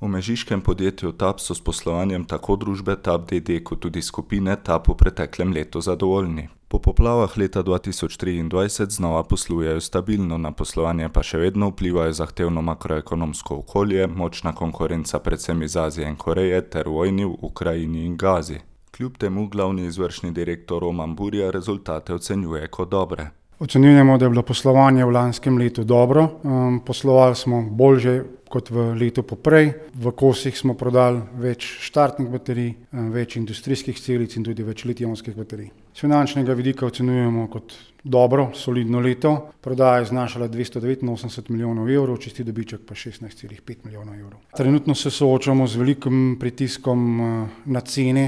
V mežiškem podjetju TAP so s poslovanjem tako družbe TAP d.d. kot tudi skupine TAP v preteklem letu zadovoljni. Po poplavah leta 2023 znova poslujejo stabilno, na poslovanje pa še vedno vplivajo zahtevno makroekonomsko okolje, močna konkurenca predvsem iz Azije in Koreje ter vojni v Ukrajini in Gazi. Kljub temu glavni izvršni direktor Roman Burja rezultate ocenjuje kot dobre. Ocenjujemo, da je bilo poslovanje v lanskem letu dobro, poslovali smo bolje kot v letu poprej, v kosih smo prodali več štartnih baterij, več industrijskih celic in tudi več litij-ionskih baterij. Z finančnega vidika ocenjujemo kot dobro, solidno leto, prodaja je znašala 289 milijonov evrov, čisti dobiček pa 16,5 milijonov evrov. Trenutno se soočamo z velikim pritiskom na cene,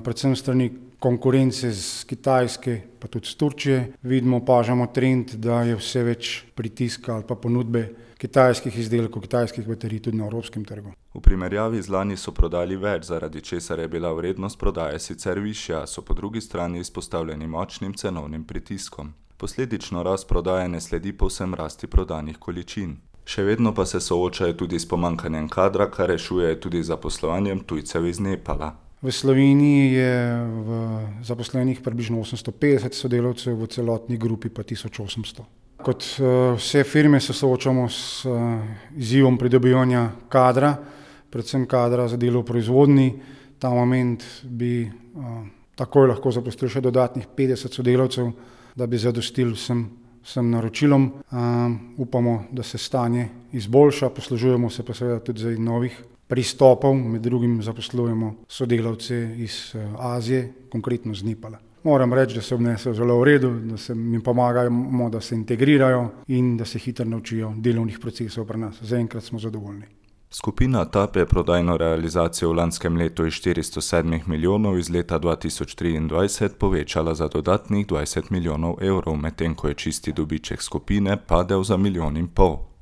predvsem strani konkurence z Kitajske, pa tudi z Turčije. Vidimo, opažamo trend, da je vse več pritiska ali pa ponudbe kitajskih izdelkov, kitajskih baterij tudi na evropskem trgu. V primerjavi z lani so prodali več, zaradi česar je bila vrednost prodaje sicer višja, so po drugi strani izpostavljeni močnim cenovnim pritiskom. Posledično rast prodaje ne sledi povsem rasti prodanih količin. Še vedno pa se soočajo tudi s pomanjkanjem kadra, kar rešuje tudi zaposlovanjem tujcev iz Nepala. V Sloveniji je zaposlenih približno 850 sodelavcev, v celotni grupi pa 1800. Kot vse firme se soočamo s izzivom pridobivanja kadra, predvsem kadra za delo v proizvodnji. Ta moment bi takoj lahko zaposlili še dodatnih 50 sodelavcev, da bi zadostili vsem naročilom. Upamo, da se stanje izboljša, poslužujemo se pa seveda tudi novih pristopov, med drugim zaposlujemo sodelavce iz Azije, konkretno z Nepala. Moram reči, da se obnesejo zelo v redu, da se jim pomagamo, da se integrirajo in da se hitro naučijo delovnih procesov pri nas. Zaenkrat smo zadovoljni. Skupina TAP je prodajno realizacijo v lanskem letu iz 407 milijonov iz leta 2023 povečala za dodatnih 20 milijonov evrov, medtem ko je čisti dobiček skupine padel za 1,5 milijona.